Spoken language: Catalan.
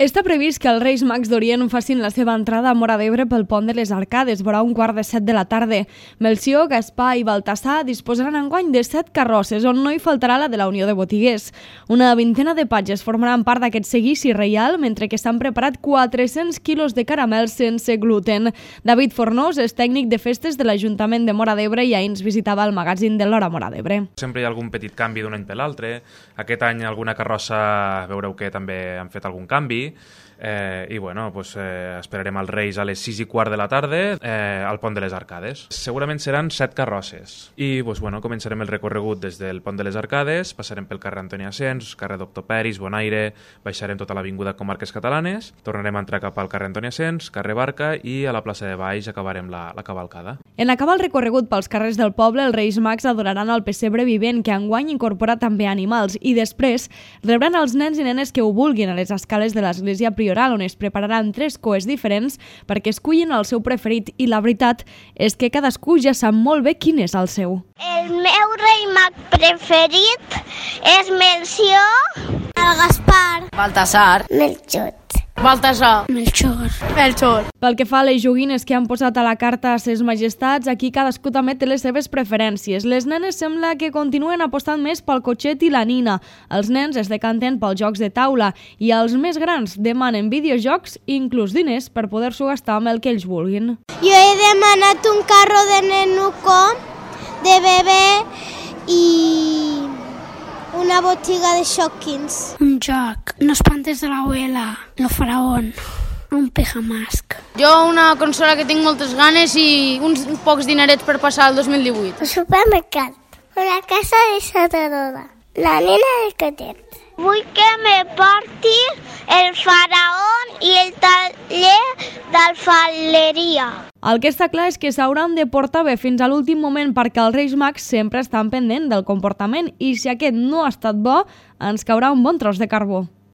Està previst que els Reis Mags d'Orient facin la seva entrada a Móra d'Ebre pel pont de les Arcades, vora 6:15 de la tarda. Melcior, Gaspar i Baltasar disposaran enguany de 7 carrosses, on no hi faltarà la de la Unió de Botiguers. Una vintena de patges formaran part d'aquest seguici reial, mentre que s'han preparat 400 quilos de caramels sense gluten. David Fornós és tècnic de festes de l'Ajuntament de Móra d'Ebre i ahir ens visitava el magazín de l'Hora Móra d'Ebre. Sempre hi ha algun petit canvi d'un any per l'altre. Aquest any alguna carrossa veureu que també han fet algun canvi. I bueno, esperarem els Reis a les 6:15 de la tarda al pont de les Arcades. Segurament seran 7 carrosses i començarem el recorregut des del pont de les Arcades, passarem pel carrer Antoni Asens, carrer Doctor Peris, Bonaire, baixarem tota l'avinguda Comarques Catalanes, tornarem a entrar cap al carrer Antoni Asens, carrer Barca i a la plaça de Baix acabarem la cavalcada. En acabar el recorregut pels carrers del poble, els Reis Mags adoraran el pessebre vivent, que enguany incorpora també animals, i després rebran els nens i nenes que ho vulguin a les escales de l'església prioral, on es prepararan 3 coets diferents perquè escullin el seu preferit, i la veritat és que cadascú ja sap molt bé quin és el seu. El meu rei mag preferit és Melcior, el Gaspar, Baltasar, Melchor. Baltasar, Melchor. Pel que fa a les joguines que han posat a la carta a ses majestats, aquí cadascú també té les seves preferències. Les nenes sembla que continuen apostant més pel cotxet i la nina. Els nens es decanten pels jocs de taula i els més grans demanen videojocs i inclús diners per poder-s'ho gastar amb el que ells vulguin. Jo he demanat un carro de nenuco, de bebè i una botiga de Shopkins. Un joc, no espantes de l'abuela, lo faraón, un pijamask. Jo una consola que tinc moltes ganes i uns pocs dinerets per passar el 2018. Un supermercat, una casa de Sotoroda, la nena del cotet. Vull que me porti el faraón i el taller d'alfareria. El que està clar és que s'hauran de portar bé fins a l'últim moment, perquè els Reis Mags sempre estan pendents del comportament i si aquest no ha estat bo, ens caurà un bon tros de carbó.